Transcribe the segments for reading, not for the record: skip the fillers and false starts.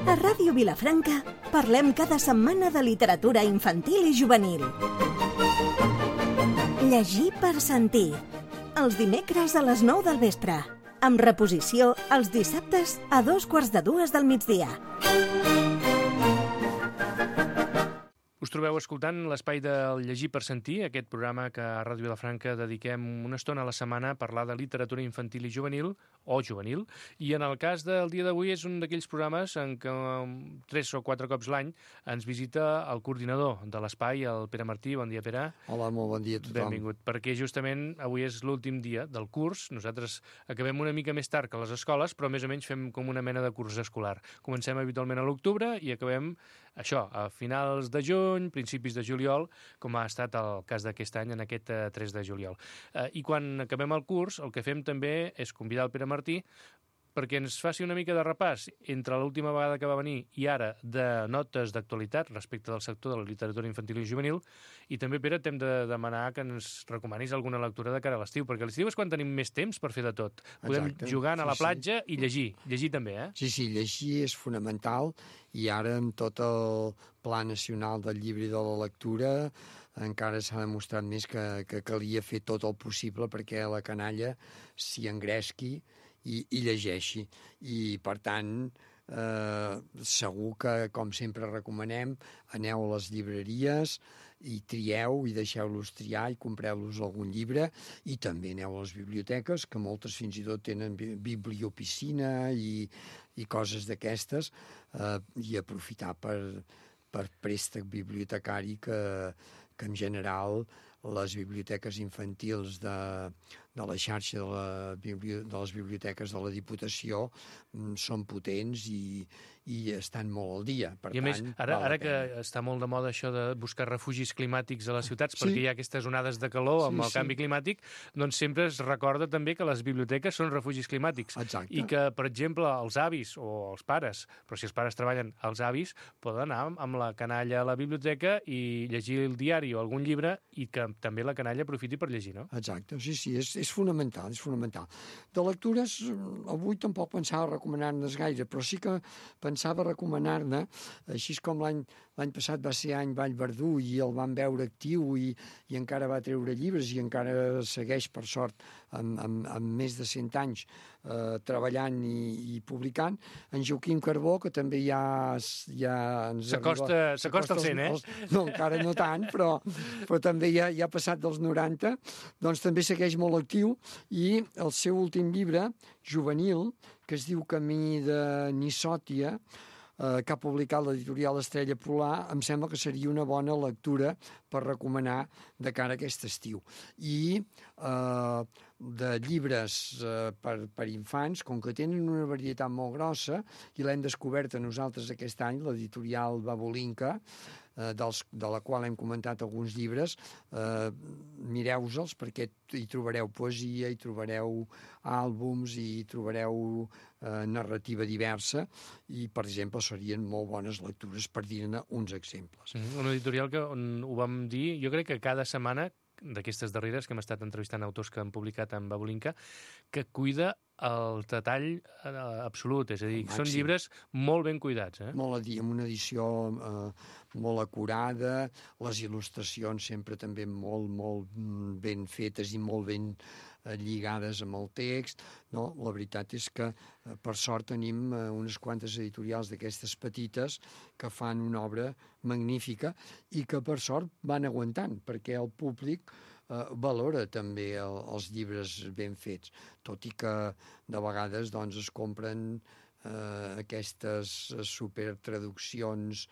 A Ràdio Vilafranca parlem cada setmana de literatura infantil i juvenil. Llegir per sentir. Els dimecres a les 9 del vespre. Amb reposició els dissabtes a 2:45 del migdia. Us trobeu escoltant l'espai del Llegir per sentir, aquest programa que a Ràdio Vilafranca dediquem una estona a la setmana a parlar de literatura infantil i juvenil, i en el cas del dia d'avui és un d'aquells programes en què 3 o 4 cops l'any ens visita el coordinador de l'espai, el Pere Martí. Bon dia, Pere. Hola, molt bon dia a tothom. Benvingut, perquè justament avui és l'últim dia del curs. Nosaltres acabem una mica més tard que les escoles, però més o menys fem com una mena de curs escolar. Comencem habitualment a l'octubre i acabem això, a finals de juny, principis de juliol, com ha estat el cas d'aquest any, en aquest 3 de juliol. I quan acabem el curs, el que fem també és convidar el Pere Martí perquè ens faci una mica de repàs entre l'última vegada que va venir i ara de notes d'actualitat respecte del sector de la literatura infantil i juvenil. I també, Pere, t'hem de demanar que ens recomanis alguna lectura de cara a l'estiu, perquè a l'estiu és quan tenim més temps per fer de tot. Podem jugar a la platja i llegir. Llegir també, eh? Sí, llegir és fonamental, i ara amb tot el Pla Nacional del Llibre i de la Lectura encara s'ha demostrat més que calia fer tot el possible perquè la canalla s'hi engresqui i llegeixi. I, per tant, segur que, com sempre recomanem, aneu a les llibreries i trieu i deixeu-los triar i compreu-los algun llibre, i també aneu a les biblioteques, que moltes fins i tot tenen bibliopiscina i coses d'aquestes, i aprofitar per préstec bibliotecari que en general les biblioteques infantils de la xarxa de les biblioteques de la Diputació són potents i estan molt al dia. I a més, ara que està molt de moda això de buscar refugis climàtics a les ciutats perquè hi ha aquestes onades de calor amb el canvi climàtic, doncs sempre es recorda també que les biblioteques són refugis climàtics. Exacte. I que, per exemple, els avis o els pares, però si els pares treballen, els avis poden anar amb la canalla a la biblioteca i llegir el diari o algun llibre, i que també la canalla aprofiti per llegir, no? Exacte, sí, és fonamental, és fonamental. De lectures, avui tampoc pensava recomanar-ne gaire, però sí que pensava recomanar-ne, així com l'any passat va ser any Vallverdú i el van veure actiu i encara va treure llibres i encara segueix, per sort, amb més de 100 anys treballant i publicant, en Joaquim Carbó, que també ja s'acosta al 100, eh? No, encara no tant, però també ja ha passat dels 90, doncs també segueix molt actiu, i el seu últim llibre, juvenil, que es diu Camí de Nissòtia, que ha publicat l'editorial Estrella Polar, em sembla que seria una bona lectura per recomanar de cara a aquest estiu. I de llibres per infants, com que tenen una varietat molt grossa, i l'hem descobert a nosaltres aquest any, l'editorial Babolinka, de la qual hem comentat alguns llibres, mireu-se'ls perquè hi trobareu poesia, hi trobareu àlbums, hi trobareu narrativa diversa, i, per exemple, serien molt bones lectures, per dir-ne uns exemples. Una editorial que, on ho vam dir, jo crec que cada setmana, d'aquestes darreres que hem estat entrevistant autors que han publicat en Babolinka, que cuida el detall absolut, és a dir, són llibres molt ben cuidats. Molt amb una edició molt acurada, les il·lustracions sempre també molt ben fetes i molt ben lligades amb el text. No, la veritat és que, per sort, tenim unes quantes editorials d'aquestes petites que fan una obra magnífica i que, per sort, van aguantant, perquè el públic valora també els llibres ben fets, tot i que de vegades es compren aquestes supertraduccions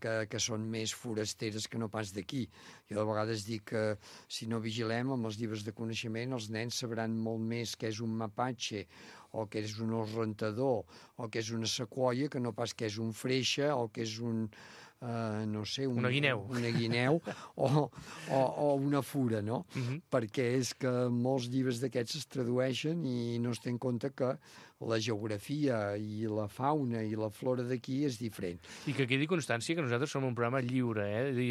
que són més forasteres que no pas d'aquí. Jo de vegades dic que si no vigilem amb els llibres de coneixement, els nens sabran molt més què és un mapatge o què és un rentador o què és una sequoia que no pas què és un freixa o què és un una guineu o una fura, no? Perquè és que molts llibres d'aquests es tradueixen i no es té en compte que la geografia i la fauna i la flora d'aquí és diferent. I que quedi constància que nosaltres som un programa lliure,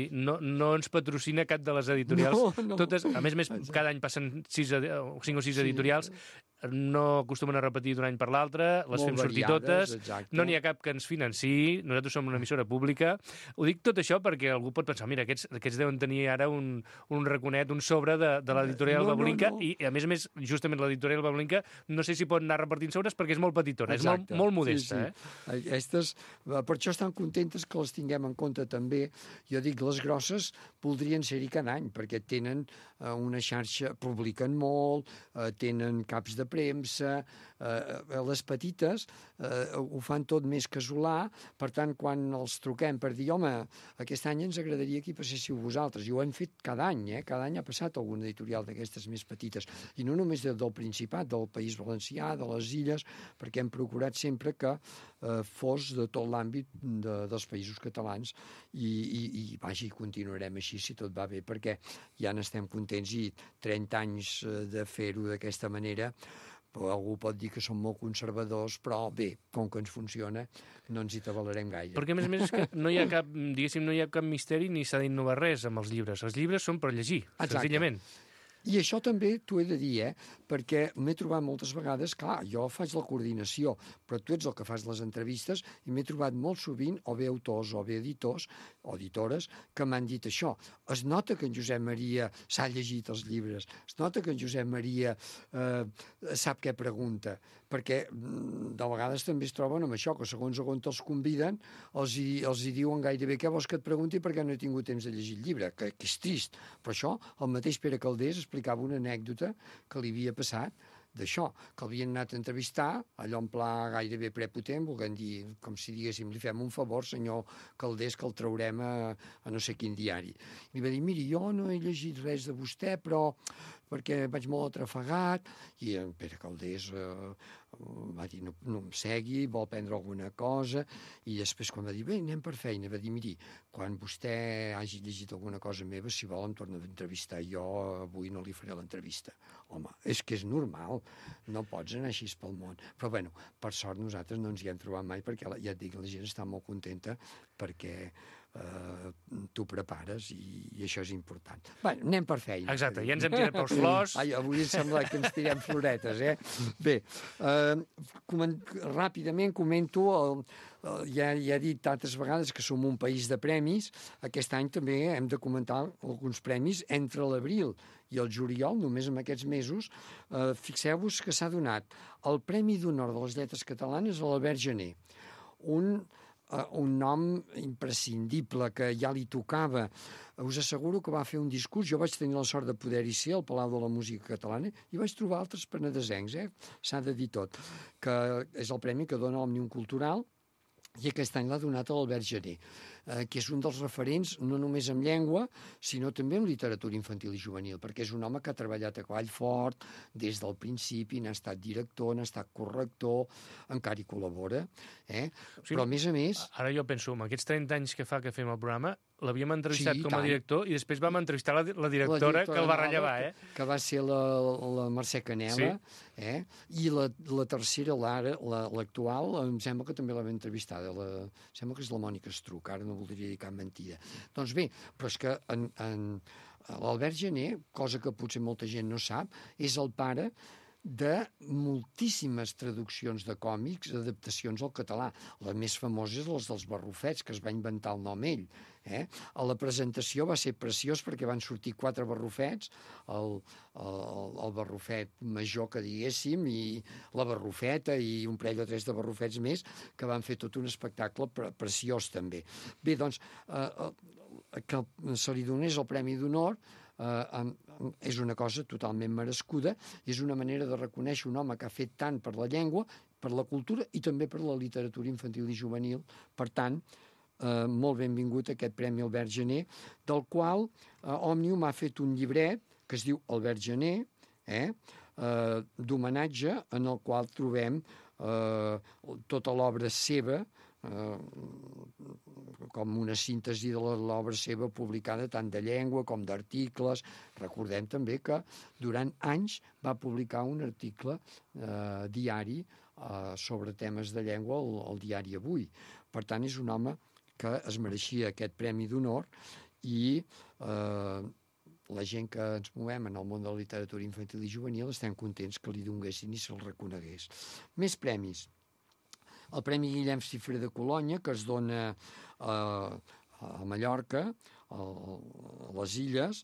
no ens patrocina cap de les editorials. No. Totes, a més, cada any passen 5 o 6 editorials no acostumen a repetir d'un any per l'altre, les Molt fem sortir variades, totes, exacte. no n'hi ha cap que ens financiï, nosaltres som una emissora pública. Ho dic tot això perquè algú pot pensar, mira, aquests deuen tenir ara un raconet, un sobre de l'editorial Bablinka, i a més, justament l'editorial Bablinka, no sé si pot anar repartint sobres perquè és molt petitona, Exacte. És molt modesta. Sí. Aquestes, per això estan contentes que les tinguem en compte també. Jo dic, les grosses voldrien ser-hi cada any, perquè tenen una xarxa, publiquen molt, tenen caps de premsa, les petites ho fan tot més casolà, per tant, quan els truquem per dir, home, aquest any ens agradaria que hi passéssiu vosaltres, i ho hem fet cada any, cada any ha passat algun editorial d'aquestes més petites, i no només del Principat, del País Valencià, de les Illes, perquè hem procurat sempre que fos de tot l'àmbit dels països catalans, i vaja, continuarem així si tot va bé, perquè ja n'estem contents, i 30 anys de fer-ho d'aquesta manera, però algú pot dir que som molt conservadors, però bé, com que ens funciona, no ens hi tabalarem gaire. Perquè, a més, és que no hi ha cap, diguéssim, no hi ha cap misteri ni s'ha d'innovar res amb els llibres. Els llibres són per llegir, senzillament. I això també t'ho he de dir, perquè m'he trobat moltes vegades, clar, jo faig la coordinació, però tu ets el que fas les entrevistes, i m'he trobat molt sovint, o bé autors, o bé editors, o editores, que m'han dit això. Es nota que en Josep Maria s'ha llegit els llibres, es nota que en Josep Maria sap què pregunta, perquè de vegades també es troben amb això, que segons on els conviden, els hi diuen gairebé què vols que et pregunti perquè no he tingut temps de llegir el llibre, que és trist. Però això, el mateix Pere Calders explicava una anècdota que li havia passat d'això, que l'havien anat a entrevistar, allò en pla gairebé prepotent, volent dir, com si diguéssim, li fem un favor, senyor Calders, que el traurem a no sé quin diari. I li va dir, miri, jo no he llegit res de vostè, però perquè vaig molt atrafegat, i en Pere Calders va dir, no em segui, vol prendre alguna cosa, i després quan va dir, bé, anem per feina, va dir, miri, quan vostè hagi llegit alguna cosa meva, si vol em torna a entrevistar, jo avui no li faré l'entrevista. Home, és que és normal, no pots anar així pel món. Però bueno, per sort nosaltres no ens hi hem trobat mai, perquè ja et dic, la gent està molt contenta perquè t'ho prepares i això és important. Bé, anem per feina. Exacte, ja ens hem tirat pels flors. Ai, avui em sembla que ens tirem floretes, Bé, ràpidament comento, ja he dit altres vegades que som un país de premis. Aquest any també hem de comentar alguns premis entre l'abril i el juliol, només en aquests mesos. Fixeu-vos que s'ha donat el Premi d'Honor de les Lletres Catalanes a l'Albert Gener, un nom imprescindible que ja li tocava. Us asseguro que va fer un discurs, jo vaig tenir la sort de poder-hi ser al Palau de la Música Catalana i vaig trobar altres penedesencs, s'ha de dir tot, que és el premi que dona Òmnium Cultural, i aquest any l'ha donat a l'Albert Gener, que és un dels referents no només en llengua, sinó també en literatura infantil i juvenil, perquè és un home que ha treballat a cavall fort des del principi, n'ha estat director, n'ha estat corrector, encara hi col·labora, però a més... Ara jo penso, amb aquests 30 anys que fa que fem el programa, l'havíem entrevistat com a director i després vam entrevistar la directora que el va rellevar, que va ser la Mercè Canela, i la tercera, l'actual, em sembla que també l'hem entrevistada, sembla que és la Mònica Estruc, ara no voldria dir cap mentida. Doncs bé, però és que l'Albert Gener, cosa que potser molta gent no sap, és el pare de moltíssimes traduccions de còmics, adaptacions al català. Les més famoses, les dels Barrufets, que es va inventar el nom ell. A la presentació va ser preciós perquè van sortir 4 barrufets, el barrufet major, que diguéssim, i la barrufeta i un parell o 3 de barrufets més, que van fer tot un espectacle preciós també. Bé, doncs, que se li donés el Premi d'Honor és una cosa totalment merescuda, és una manera de reconèixer un home que ha fet tant per la llengua, per la cultura i també per la literatura infantil i juvenil. Per tant, molt benvingut aquest Premi Albert Gener, del qual Òmnium ha fet un llibret que es diu Albert Gener, d'homenatge, en el qual trobem tota l'obra seva, com una síntesi de l'obra seva publicada tant de llengua com d'articles. Recordem també que durant anys va publicar un article diari sobre temes de llengua al diari Avui. Per tant, és un home que es mereixia aquest Premi d'Honor i la gent que ens movem en el món de la literatura infantil i juvenil estem contents que li donguessin i se'l reconegués. Més premis. El Premi Guillem Cifré de Colònia, que es dona a Mallorca, a les Illes,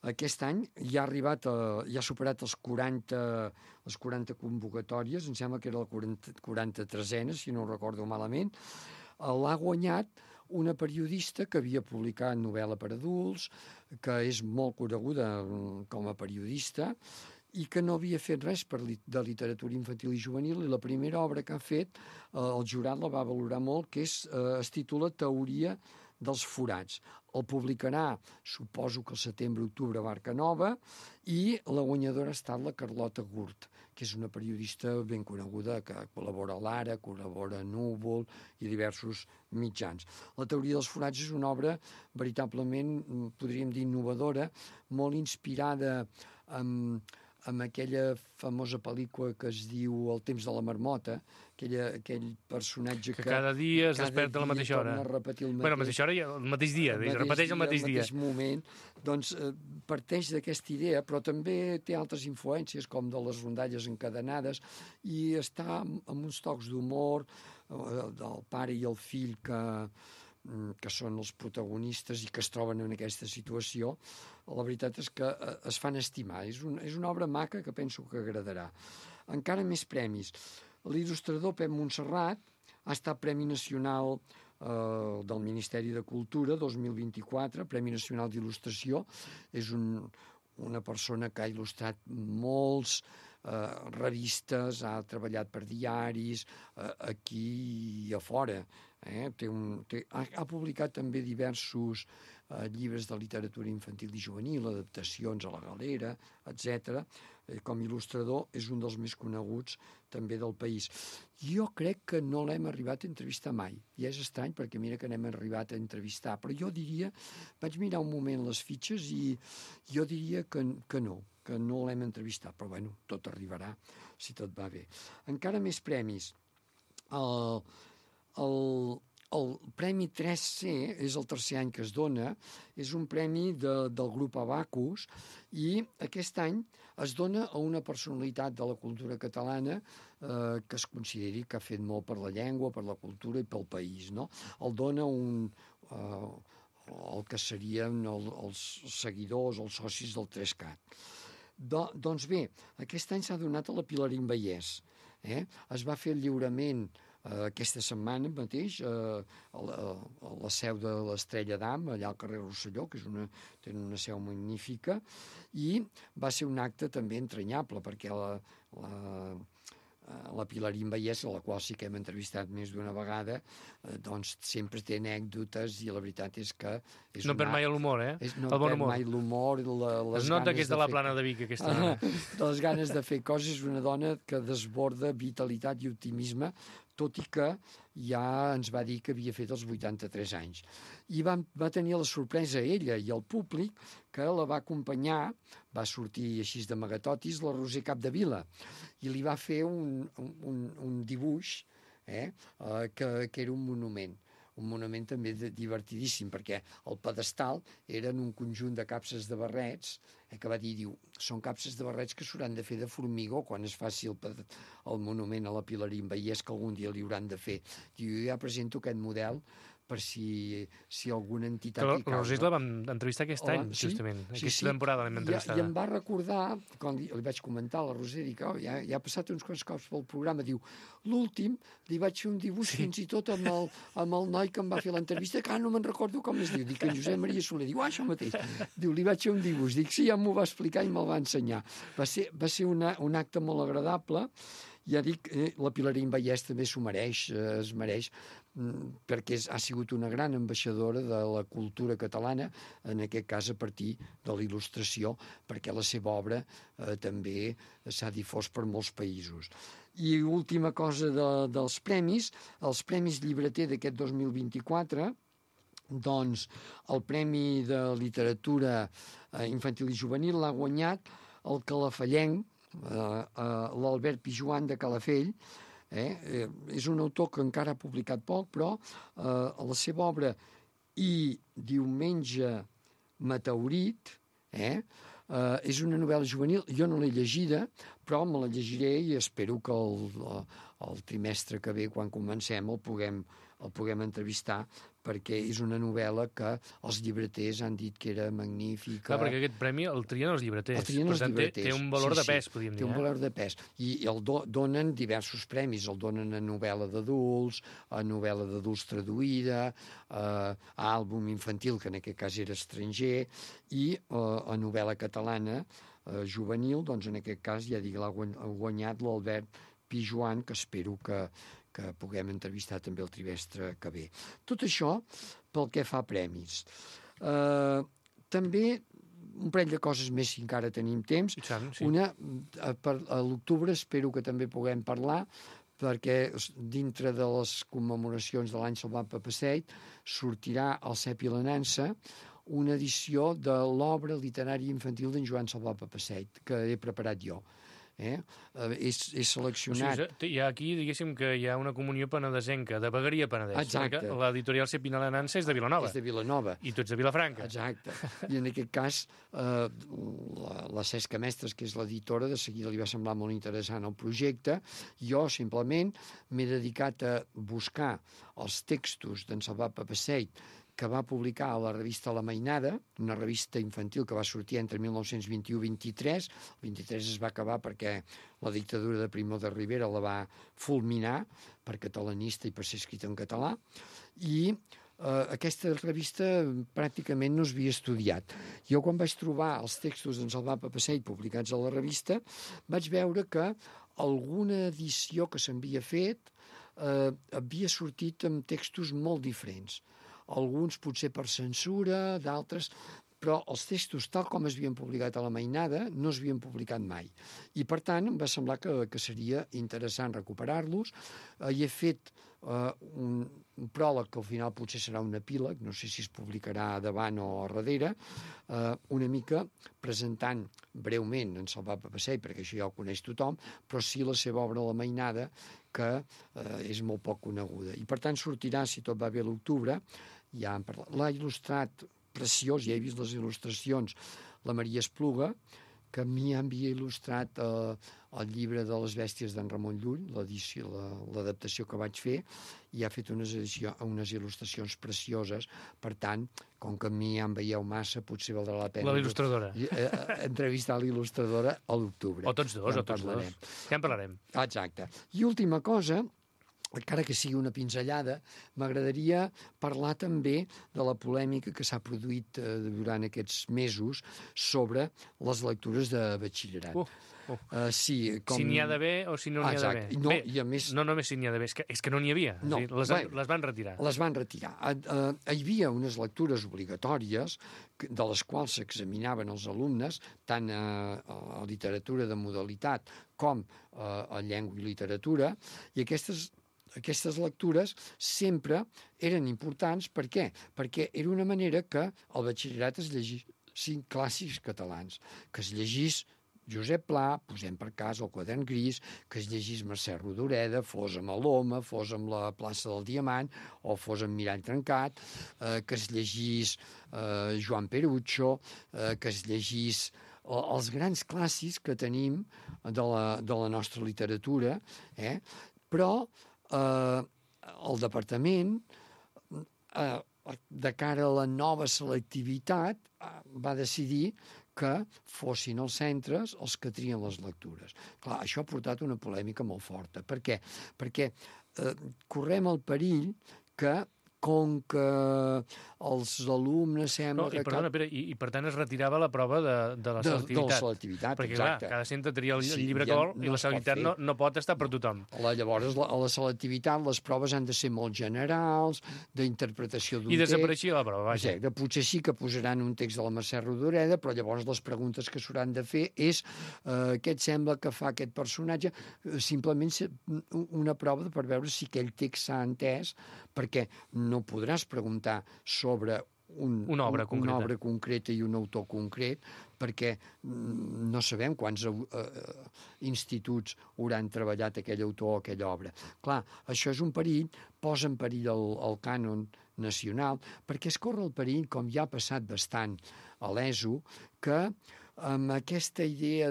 aquest any ja ha superat les 40 convocatòries, em sembla que era la 43a, si no ho recordo malament. L'ha guanyat una periodista que havia publicat novel·la per adults, que és molt coneguda com a periodista, i que no havia fet res de literatura infantil i juvenil, i la primera obra que ha fet, el jurat la va valorar molt, que es titula Teoria dels forats. El publicarà, suposo que al setembre-octubre, a Barca Nova, i la guanyadora ha estat la Carlota Gurt, que és una periodista ben coneguda, que col·labora a l'Ara, col·labora a Núvol i diversos mitjans. La Teoria dels forats és una obra veritablement, podríem dir, innovadora, molt inspirada amb aquella famosa pel·lícula que es diu El temps de la marmota, aquell personatge que cada dia es desperta a la mateixa hora. A repetir el mateix, bueno, a la mateixa hora i el mateix dia, repeteix el mateix dia. Al mateix moment. Doncs parteix d'aquesta idea, però també té altres influències, com de les rondalles encadenades, i està amb uns tocs d'humor del pare i el fill que són els protagonistes i que es troben en aquesta situació. La veritat és que es fan estimar. És una obra maca que penso que agradarà. Encara més premis. L'il·lustrador Pep Montserrat ha estat Premi Nacional del Ministeri de Cultura 2024, Premi Nacional d'Il·lustració. És una persona que ha il·lustrat molts revistes, ha treballat per diaris, aquí i a fora. Ha publicat també diversos llibres de literatura infantil i juvenil, adaptacions a la Galera, etc. Com a il·lustrador és un dels més coneguts també del país. Jo crec que no l'hem arribat a entrevistar mai, i és estrany perquè mira que n'hem arribat a entrevistar, però jo diria, vaig mirar un moment les fitxes i jo diria que no l'hem entrevistat, però bueno, tot arribarà si tot va bé. Encara més premis. El Premi 3C és el tercer any que es dona, és un premi del grup Abacus, i aquest any es dona a una personalitat de la cultura catalana que es consideri que ha fet molt per la llengua, per la cultura i pel país, no? El dona el que serien els seguidors, els socis del 3CAT. Doncs bé, aquest any s'ha donat a la Pilarín Vallès. Es va fer el lliurament aquesta setmana mateix a la seu de l'Estrella d'Am, allà al carrer Rosselló, que tenen una seu magnífica, i va ser un acte també entranyable, perquè la Pilarín Vallès, a la qual sí que hem entrevistat més d'una vegada, doncs sempre té anècdotes, i la veritat és que... No perd mai l'humor, No perd mai l'humor. Es nota que és de la Plana de Vic, aquesta dona. Les ganes de fer coses. És una dona que desborda vitalitat i optimisme, tot i que ja ens va dir que havia fet els 83 anys. I va tenir la sorpresa ella i el públic que la va acompanyar, va sortir així d'amagatotis, la Roser Capdevila, i li va fer un dibuix que era un monument també divertidíssim, perquè el pedestal eren un conjunt de capses de barrets, que va dir, són capses de barrets que s'hauran de fer de formigó quan es faci el monument a la Pilarín Vallès, que algun dia li hauran de fer. Diu, jo ja presento aquest model per si alguna entitat... La Roser la vam entrevistar aquest any, justament. Aquesta temporada l'hem entrevistada. I em va recordar, quan li vaig comentar a la Roser, dic, ja ha passat uns quants cops pel programa, diu, l'últim li vaig fer un dibuix fins i tot amb el noi que em va fer l'entrevista, que no me'n recordo com es diu, dic, en Josep Maria Soler, diu, això mateix. Diu, li vaig fer un dibuix, dic, sí, ja m'ho va explicar i me'l va ensenyar. Va ser un acte molt agradable. Ja dic, la Pilarín Vallès també s'ho mereix, es mereix, perquè ha sigut una gran ambaixadora de la cultura catalana, en aquest cas a partir de la il·lustració, perquè la seva obra també s'ha difós per molts països. I última cosa dels premis, els Premis Llibreter d'aquest 2024, doncs el Premi de Literatura Infantil i Juvenil l'ha guanyat el calafallenc, l'Albert Pijuan de Calafell. És un autor que encara ha publicat poc, però la seva obra I Diumenge Meteorit És una novel·la juvenil, jo no l'he llegida, però me la llegiré i espero que el trimestre que ve, quan comencem, el puguem entrevistar, perquè és una novel·la que els llibreters han dit que era magnífica. Clar, perquè aquest premi el trien els llibreters. El trien els llibreters. Té un valor de pes, podríem dir. Té un valor de pes. I el donen diversos premis. El donen a novel·la d'adults, a novel·la d'adults traduïda, a àlbum infantil, que en aquest cas era estranger, i a novel·la catalana juvenil, doncs en aquest cas, ja dic, l'ha guanyat l'Albert Pijoan, que espero que puguem entrevistar també el trimestre que ve. Tot això pel que fa a premis. També un parell de coses més, si encara tenim temps. Sí. Una, a l'octubre espero que també puguem parlar, perquè dintre de les commemoracions de l'any Salvat Papasseit sortirà al Cep i la Nansa una edició de l'obra literària infantil d'en Joan Salvat Papasseit, que he preparat jo. És seleccionat... O sigui, aquí, diguéssim, que hi ha una comunió penedesenca, de vegueria Penedès. Exacte. Perquè l'editorial Cep i la Nansa és de Vilanova. És de Vilanova. I tu ets de Vilafranca. Exacte. I en aquest cas, la Cesca Mestres, que és l'editora, de seguida li va semblar molt interessant el projecte. Jo, simplement, m'he dedicat a buscar els textos d'en Salvat Papasseit, que va publicar a la revista La Mainada, una revista infantil que va sortir entre 1921 i 23. El 23 es va acabar perquè la dictadura de Primo de Rivera la va fulminar per catalanista i per ser escrita en català. I aquesta revista pràcticament no s'havia estudiat. Jo, quan vaig trobar els textos d'en Salvat Papasseit publicats a la revista, vaig veure que alguna edició que s'havia fet havia sortit amb textos molt diferents. Alguns potser per censura, d'altres... Però els textos, tal com es havien publicat a la Mainada, no s'havien publicat mai. I, per tant, em va semblar que seria interessant recuperar-los. Hi he fet un pròleg, que al final potser serà un epíleg, no sé si es publicarà davant o a darrere, una mica presentant breument en Salvat Papasseit, perquè això ja ho coneix tothom, però sí la seva obra a la Mainada, que és molt poc coneguda. I, per tant, sortirà, si tot va bé, a l'octubre. Ja hem parlat. L'ha il·lustrat preciós, ja he vist les il·lustracions, la Maria Espluga, que a mi havia il·lustrat el llibre de les bèsties d'en Ramon Llull, l'adaptació que vaig fer, i ha fet unes il·lustracions precioses. Per tant, com que a mi ja em veieu massa, potser valdrà la pena... L'il·lustradora. Entrevistar l'il·lustradora a l'octubre. O tots dos, Ja en parlarem. Exacte. I última cosa, encara que sigui una pinzellada, m'agradaria parlar també de la polèmica que s'ha produït durant aquests mesos sobre les lectures de batxillerat. Si n'hi ha d'haver o si no n'hi ha d'haver. No, i a més... No només si n'hi ha d'haver, és que no n'hi havia. No, les van retirar. Les van retirar. Hi havia unes lectures obligatòries de les quals s'examinaven els alumnes, tant a literatura de modalitat com a llengua i literatura, i aquestes lectures sempre eren importants. Per què? Perquè era una manera que al batxillerat es llegissin clàssics catalans, que es llegís Josep Pla, posem per cas el Quadern Gris, que es llegís Mercè Rodoreda, fos amb l'Home, fos amb la plaça del Diamant, o fos amb Mirall Trencat, que es llegís Joan Perucho, que es llegís els grans clàssics que tenim de la nostra literatura, però el departament, de cara a la nova selectivitat, va decidir que fossin els centres els que trien les lectures. Clar, això ha portat una polèmica molt forta. Per què? Perquè correm el perill que, com que els alumnes sembla que... Perdona, Pere, i per tant es retirava la prova de la selectivitat. De la selectivitat, perquè, exacte. Clar, cada centre tria el llibre que vol i la selectivitat no pot estar per tothom. Llavors, a la selectivitat, les proves han de ser molt generals, d'interpretació d'un text... I desapareixia la prova, vaja. Exacte. Potser sí que posaran un text de la Mercè Rodoreda, però llavors les preguntes que s'hauran de fer és què et sembla que fa aquest personatge? Simplement una prova per veure si aquell text s'ha entès, perquè no podràs preguntar sobre una obra concreta i un autor concret, perquè no sabem quants instituts hauran treballat aquell autor o aquella obra. Clar, això és un perill, posa en perill el cànon nacional, perquè es corre el perill, com ja ha passat bastant a l'ESO, que amb aquesta idea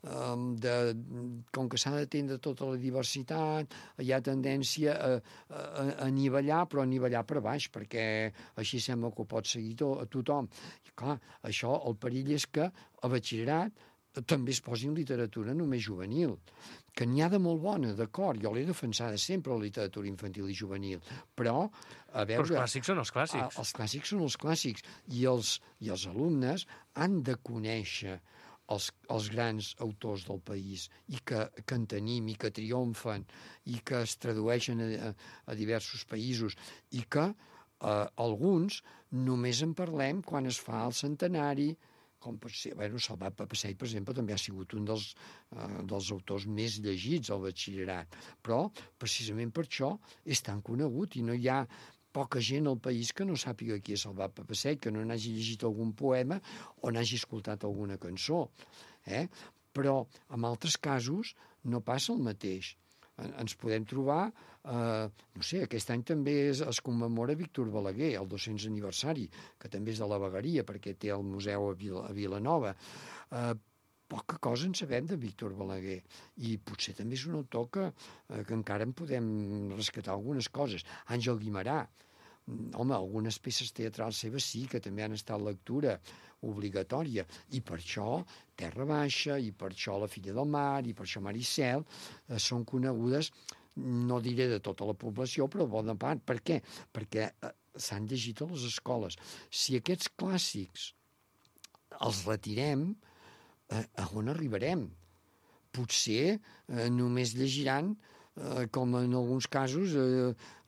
com que s'ha d'atendre tota la diversitat, hi ha tendència a anivellar, però anivellar per baix, perquè així sembla que ho pot seguir tothom. I clar, això, el perill és que a batxillerat també es posi en literatura només juvenil, que n'hi ha de molt bona, d'acord, jo l'he defensada sempre, la literatura infantil i juvenil, però, a veure... Però els clàssics són els clàssics. Els clàssics són els clàssics, i els alumnes han de conèixer els grans autors del país, i que en tenim, i que triomfen, i que es tradueixen a diversos països, i que alguns només en parlem quan es fa el centenari, com pot ser, Salvat Papasseit, per exemple, també ha sigut un dels autors més llegits al batxillerat, però precisament per això és tan conegut i no hi ha poca gent al país que no sàpiga qui és Salvat Papasseit, que no n'hagi llegit algun poema o n'hagi escoltat alguna cançó. Però en altres casos no passa el mateix. Ens podem trobar, no sé, aquest any també es commemora Víctor Balaguer, el 200 aniversari, que també és de la Vegueria, perquè té el museu a Vilanova. Poca cosa en sabem de Víctor Balaguer, i potser també és un autor que encara en podem rescatar algunes coses. Àngel Guimerà, home, algunes peces teatrals seves sí, que també han estat lectura obligatòria, i per això Terra Baixa, i per això La filla del mar, i per això Maricel, són conegudes, no diré de tota la població, però bona part. Per què? Perquè s'han llegit a les escoles. Si aquests clàssics els retirem, a on arribarem? Potser només llegiran, com en alguns casos,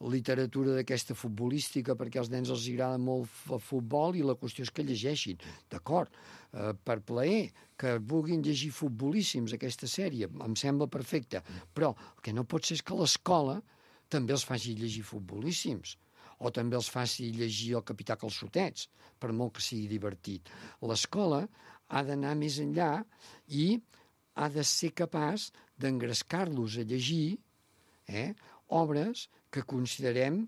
literatura d'aquesta futbolística, perquè als nens els agrada molt el futbol i la qüestió és que llegeixin. D'acord, per plaer, que vulguin llegir futbolíssims aquesta sèrie, em sembla perfecte, però el que no pot ser és que l'escola també els faci llegir futbolíssims, o també els faci llegir el Capità Calçotets, per molt que sigui divertit. L'escola ha d'anar més enllà i ha de ser capaç d'engrescar-los a llegir obres que considerem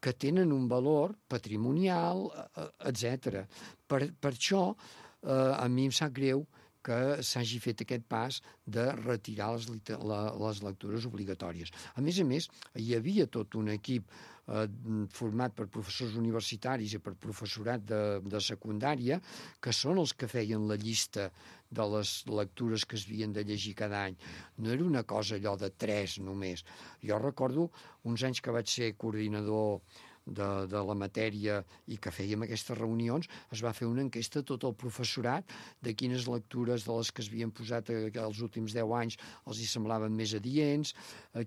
que tenen un valor patrimonial, etc. Per això a mi em sap greu que s'hagi fet aquest pas de retirar les lectures obligatòries. A més, hi havia tot un equip format per professors universitaris i per professorat de secundària, que són els que feien la llista de les lectures que es havien de llegir cada any. No era una cosa allò de 3 només. Jo recordo uns anys que vaig ser coordinador de la matèria i que fèiem aquestes reunions, es va fer una enquesta a tot el professorat de quines lectures de les que es havien posat els últims 10 anys els hi semblaven més adients,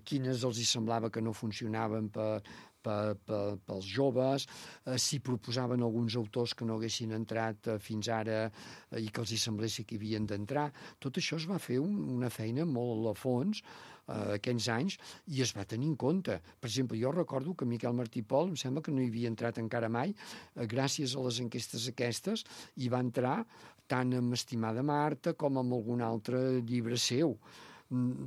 quines els hi semblava que no funcionaven pels joves, si proposaven alguns autors que no haguessin entrat fins ara i que els hi semblés que hi havien d'entrar. Tot això es va fer una feina molt a fons aquells anys, i es va tenir en compte. Per exemple, jo recordo que Miquel Martí Pol, em sembla que no hi havia entrat encara mai, gràcies a les enquestes aquestes, hi va entrar tant amb Estimada Marta com amb algun altre llibre seu.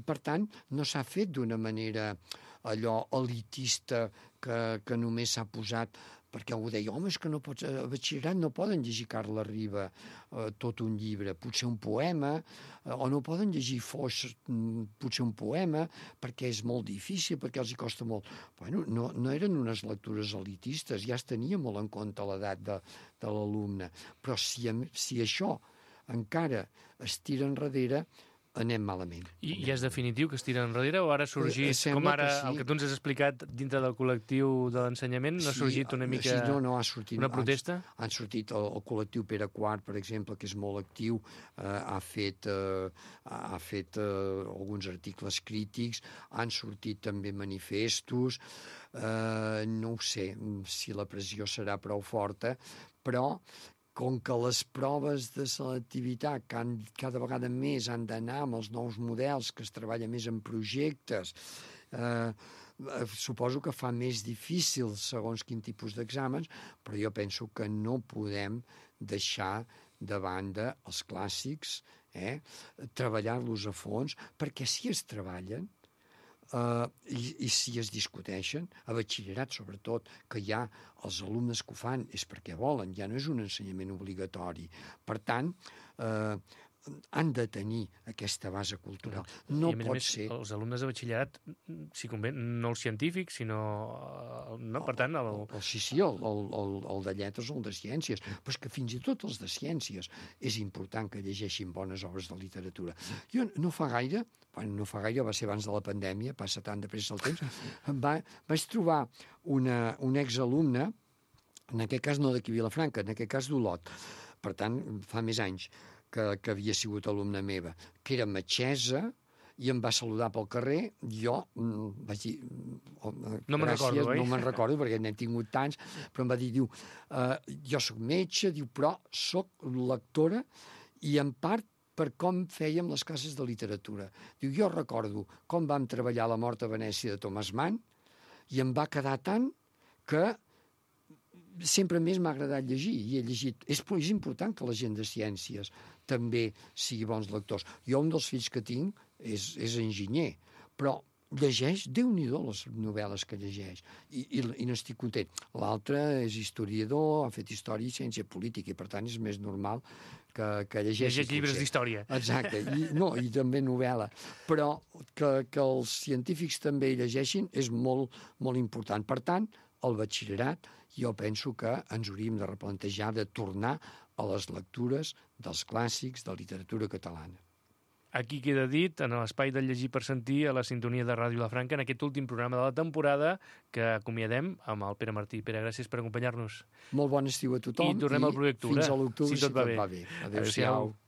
Per tant, no s'ha fet d'una manera allò elitista que només s'ha posat perquè algú deia, home, és que no pots, a batxillerat no poden llegir Carles Riba tot un llibre, potser un poema, o no poden llegir Foix potser un poema, perquè és molt difícil, perquè els hi costa molt. Bueno, no eren unes lectures elitistes, ja es tenia molt en compte l'edat de l'alumne, però si això encara es tira enrere, anem malament. I és definitiu que es tira enrere o ara ha sorgit, com ara sí. El que tu ens has explicat dintre del col·lectiu de l'ensenyament, no ha sorgit una mica ha sortit, una protesta? Han sortit el col·lectiu Pere IV, per exemple, que és molt actiu, ha fet alguns articles crítics, han sortit també manifestos, no ho sé si la pressió serà prou forta, però com que les proves de selectivitat cada vegada més han d'anar amb els nous models, que es treballa més en projectes, suposo que fa més difícil segons quin tipus d'exàmens, però jo penso que no podem deixar de banda els clàssics, treballar-los a fons, perquè si es treballen, i si es discuteixen, a batxillerat sobretot, que hi ha els alumnes que ho fan és perquè volen, ja no és un ensenyament obligatori. Per tant, han de tenir aquesta base cultural. No I a pot més, ser... els alumnes de batxillerat, si convé, no els científics, sinó... No, per tant... Sí, el de lletres o el de ciències, però és que fins i tot els de ciències és important que llegeixin bones obres de literatura. Jo no fa gaire, va ser abans de la pandèmia, passa tan de pressa el temps, vaig trobar un exalumne, en aquest cas no d'aquí Vilafranca, en aquest cas d'Olot, per tant, fa més anys, que havia sigut alumna meva, que era metgessa, i em va saludar pel carrer, jo vaig dir... No me'n recordo, oi? No me'n recordo, perquè n'he tingut tants, però em va dir, jo sóc metge, però sóc lectora, i en part per com fèiem les classes de literatura. Diu, jo recordo com vam treballar La mort a Venècia de Thomas Mann, i em va quedar tant que sempre més m'ha agradat llegir, i he llegit. És important que la gent de ciències també sigui bons lectors. Jo, un dels fills que tinc és enginyer, però llegeix, Déu-n'hi-do, les novel·les que llegeix, i n'estic content. L'altre és historiador, ha fet història i ciència política, i per tant és més normal que llegeixi. Llegeix llibres d'història. Exacte, i també novel·la. Però que els científics també hi llegeixin és molt, molt important. Per tant, el batxillerat, jo penso que ens hauríem de replantejar de tornar a les lectures dels clàssics de literatura catalana. Aquí queda dit, en l'espai del Llegir per Sentir, a la sintonia de Ràdio Vilafranca, en aquest últim programa de la temporada, que acomiadem amb el Pere Martí. Pere, gràcies per acompanyar-nos. Molt bon estiu a tothom. I tornem al Proper Octubre. Fins a l'octubre, si tot va bé. Adéu-siau.